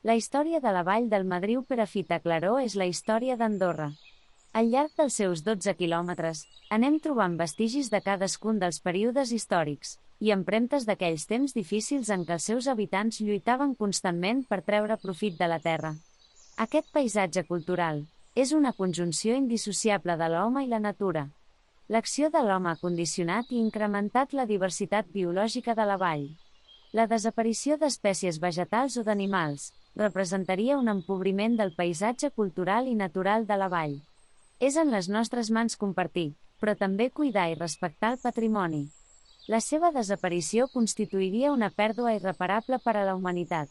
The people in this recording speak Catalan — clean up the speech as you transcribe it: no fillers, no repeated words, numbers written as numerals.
La història de la vall del Madriu Perafita Claró és la història d'Andorra. Al llarg dels seus 12 quilòmetres, anem trobant vestigis de cadascun dels períodes històrics, i empremtes d'aquells temps difícils en què els seus habitants lluitaven constantment per treure profit de la terra. Aquest paisatge cultural és una conjunció indissociable de l'home i la natura. L'acció de l'home ha condicionat i incrementat la diversitat biològica de la vall. La desaparició d'espècies vegetals o d'animals representaria un empobriment del paisatge cultural i natural de la vall. És en les nostres mans compartir, però també cuidar i respectar el patrimoni. La seva desaparició constituiria una pèrdua irreparable per a la humanitat.